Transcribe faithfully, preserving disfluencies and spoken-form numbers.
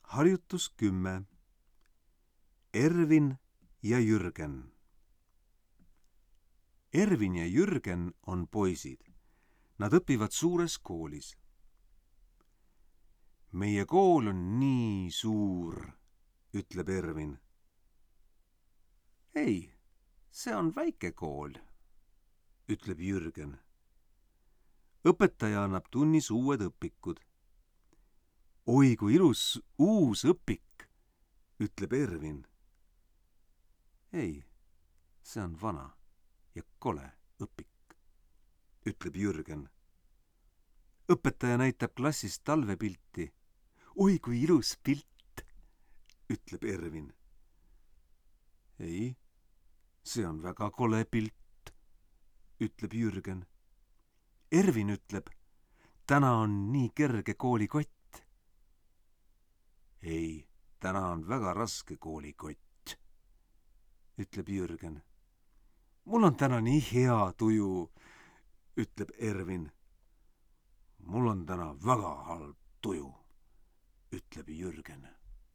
Harjutus kümme. Ervin ja Jürgen. Ervin ja Jürgen on poisid. Nad õpivad suures koolis. Meie kool on nii suur, ütleb Ervin. Ei, see on väike kool, ütleb Jürgen. Õpetaja annab tunnis uued õpikud. Oi, kui ilus uus õpik, ütleb Ervin. Ei, see on vana ja kole õpik, ütleb Jürgen. Õpetaja näitab klassis talvepilti. Oi, kui ilus pilt, ütleb Ervin. Ei, see on väga kole pilt, ütleb Jürgen. Ervin ütleb, täna on nii kerge koolikott. Ei, täna on väga raske koolikott, ütleb Jürgen. Mul on täna nii hea tuju, ütleb Ervin. Mul on täna väga halb tuju, ütleb Jürgen.